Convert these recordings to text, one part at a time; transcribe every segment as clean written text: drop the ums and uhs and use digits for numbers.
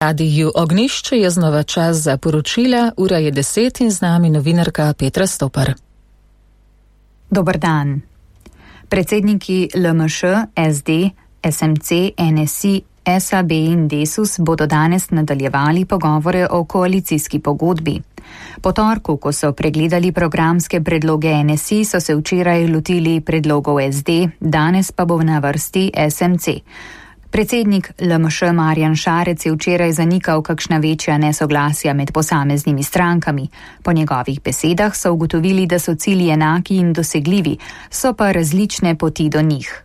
Radiju Ognjišče je znova čas za poročila, ura je 10 in z nami novinarka Petra Stopar. Dober dan. Predsedniki LMŠ, SD, SMC, NSI, SAB in Desus bodo danes nadaljevali pogovore o koalicijski pogodbi. Po torku, ko so pregledali programske predloge NSI, so se včeraj lotili predlogov SD, danes pa bo na vrsti SMC. Predsednik LMŠ Marjan Šarec je včeraj zanikal kakšna večja nesoglasja med posameznimi strankami. Po njegovih besedah so ugotovili, da so cilji enaki in dosegljivi, so pa različne poti do njih.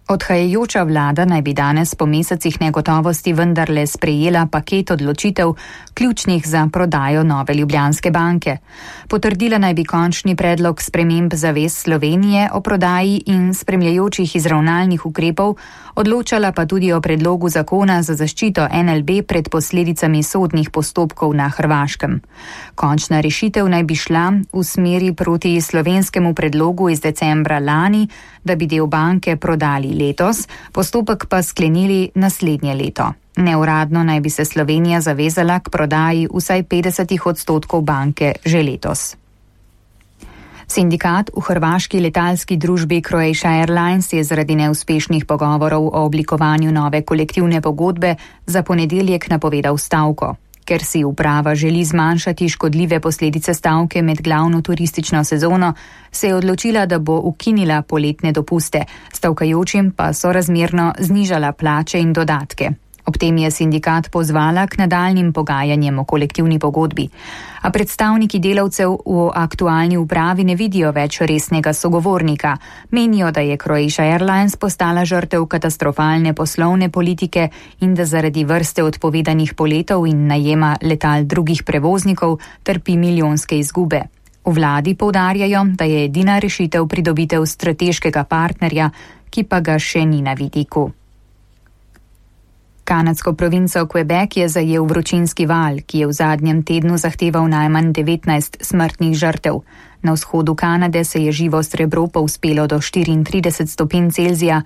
Odhajajoča vlada naj bi danes po mesecih negotovosti vendarle sprejela paket odločitev, ključnih za prodajo Nove Ljubljanske banke. Potrdila naj bi končni predlog sprememb zavez Slovenije o prodaji in spremljajočih izravnalnih ukrepov, odločala pa tudi o predlogu zakona za zaščito NLB pred posledicami sodnih postopkov na Hrvaškem. Končna rešitev naj bi šla v smeri proti slovenskemu predlogu iz decembra lani, da bi del banke prodali letos, postopek pa sklenili naslednje leto. Neuradno naj bi se Slovenija zavezala k prodaji vsaj 50% banke že letos. Sindikat v hrvaški letalski družbi Croatia Airlines je zaradi neuspešnih pogovorov o oblikovanju nove kolektivne pogodbe za ponedeljek napovedal stavko. Ker si uprava želi zmanjšati škodljive posledice stavke med glavno turistično sezono, se je odločila, da bo ukinila poletne dopuste, stavkajočim pa sorazmerno znižala plače in dodatke. Ob tem je sindikat pozvala k nadaljnjim pogajanjem o kolektivni pogodbi. A predstavniki delavcev v aktualni upravi ne vidijo več resnega sogovornika. Menijo, da je Croatia Airlines postala žrtev katastrofalne poslovne politike in da zaradi vrste odpovedanih poletov in najema letal drugih prevoznikov trpi milijonske izgube. V vladi poudarjajo, da je edina rešitev pridobitev strateškega partnerja, ki pa ga še ni na vidiku. Kanadsko provinco Quebec je zajel vročinski val, ki je v zadnjem tednu zahteval najmanj 19 smrtnih žrtev. Na vzhodu Kanade se je živo srebro povzpelo do 34 stopinj Celzija,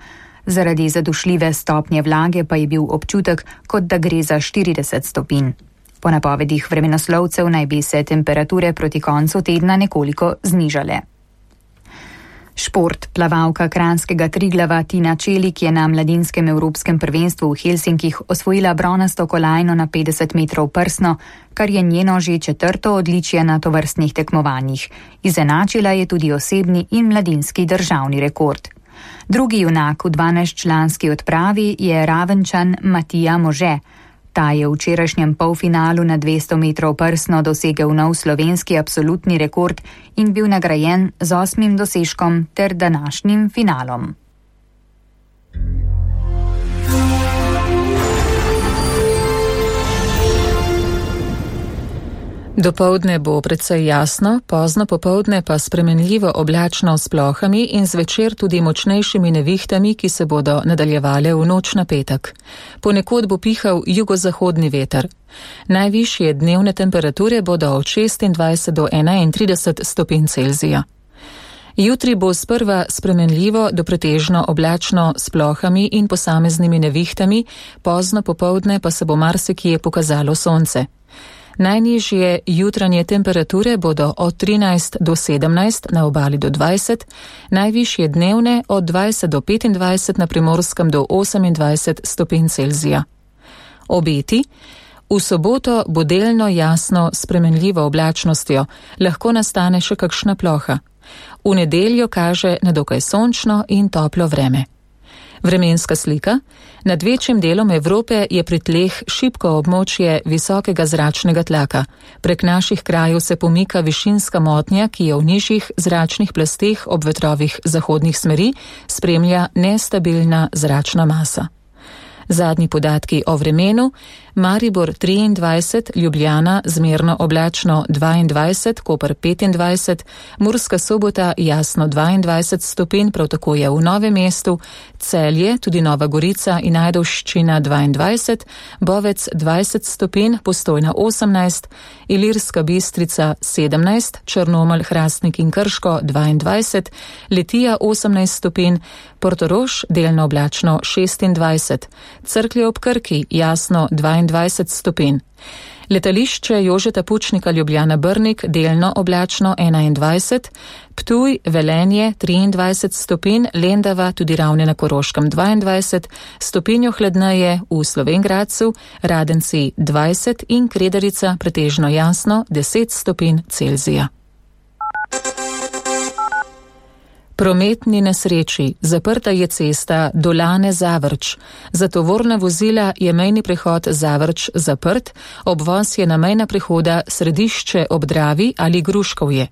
zaradi zadušljive stopnje vlage pa je bil občutek, kot da gre za 40 stopinj. Po napovedih vremenoslovcev naj bi se temperature proti koncu tedna nekoliko znižale. Šport. Plavalka kranjskega Triglava Tina Čelik je na mladinskem evropskem prvenstvu v Helsinkih osvojila bronasto kolajno na 50 metrov prsno, kar je njeno že 4. odličje na tovrstnih tekmovanjih. Izenačila je tudi osebni in mladinski državni rekord. Drugi junak v 12-članski odpravi je Ravenčan Matija Može. Ta je v včerajšnjem polfinalu na 200 metrov prsno dosegel nov slovenski absolutni rekord in bil nagrajen z 8. dosežkom ter današnjim finalom. Dopoldne bo precej jasno, pozno popoldne pa spremenljivo oblačno s plohami in zvečer tudi močnejšimi nevihtami, ki se bodo nadaljevale v noč na petek. Ponekod bo pihal jugozahodni veter. Najvišje dnevne temperature bodo od 26 do 31 stopinj Celzija. Jutri bo sprva spremenljivo do pretežno oblačno s plohami in posameznimi nevihtami, pozno popoldne pa se bo marsikje pokazalo sonce. Najnižje jutranje temperature bodo od 13 do 17, na obali do 20, najvišje dnevne od 20 do 25, na Primorskem do 28 stopinj Celzija. Obeti. V soboto bo delno jasno spremenljivo oblačnostjo, lahko nastane še kakšna ploha. V nedeljo kaže na dokaj sončno in toplo vreme. Vremenska slika. Nad večjim delom Evrope je pri tleh šibko območje visokega zračnega tlaka. Prek naših krajev se pomika višinska motnja, ki je v nižjih zračnih plasteh ob vetrovih zahodnih smeri spremlja nestabilna zračna masa. Zadnji podatki o vremenu. Maribor 23, Ljubljana zmerno oblačno 22, Koper 25, Murska Sobota jasno 22 stopinj, prav tako je v Novem mestu, Celje, tudi Nova Gorica in Ajdovščina 22, Bovec 20 stopinj, Postojna 18, Ilirska Bistrica 17, Črnomelj, Hrastnik in Krško 22, Litija 18 stopinj, Portorož delno oblačno 26, Cerklje ob Krki jasno 22 stopinj. Letališče Jožeta Pučnika Ljubljana Brnik delno oblačno 21, Ptuj, Velenje 23 stopinj, Lendava tudi Ravne na Koroškem 22, stopinjo hladneje v Slovenj Gradcu, Radenci 20 in Kredarica pretežno jasno 10 stopinj Celzija. Prometni nesreči. Zaprta je cesta Dolane-Zavrč. Za tovorna vozila je mejni prehod Zavrč zaprt, obvoz je na mejna prehoda Središče ob Dravi ali Gruškovje.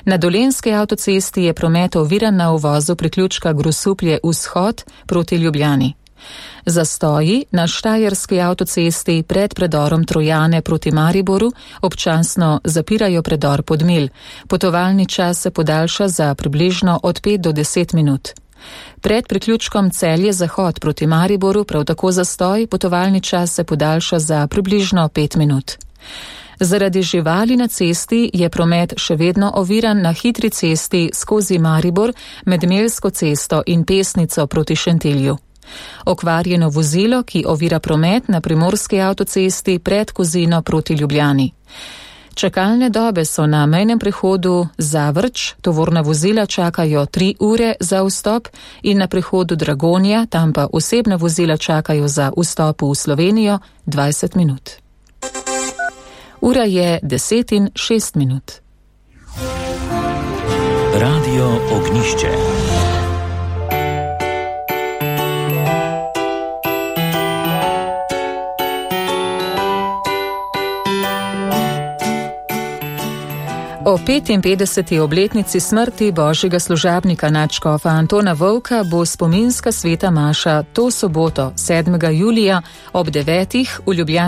Na Dolenjski avtocesti je promet oviran na uvozu priključka Grosuplje-Vzhod proti Ljubljani. Zastoji na Štajerski avtocesti pred predorom Trojane proti Mariboru občasno zapirajo predor Podmilj. Potovalni čas se podaljša za približno od 5 do 10 minut. Pred priključkom Celje-Zahod proti Mariboru prav tako zastoj, potovalni čas se podaljša za približno 5 minut. Zaradi živali na cesti je promet še vedno oviran na hitri cesti skozi Maribor med Melsko cesto in Pesnico proti Šentilju. Okvarjeno vozilo, ki ovira promet na Primorski avtocesti pred Kozino proti Ljubljani. Čakalne dobe so na mejnem prehodu Zavrč, tovorna vozila čakajo 3 ure za vstop in na prehodu Dragonja, tam pa osebna vozila čakajo za vstop v Slovenijo 20 minut. Ura je 10:06. Radio Ognišče. O 55. obletnici smrti božjega služabnika nadškofa Antona Vovka bo spominska sveta maša to soboto, 7. julija ob 9. v Ljubljani.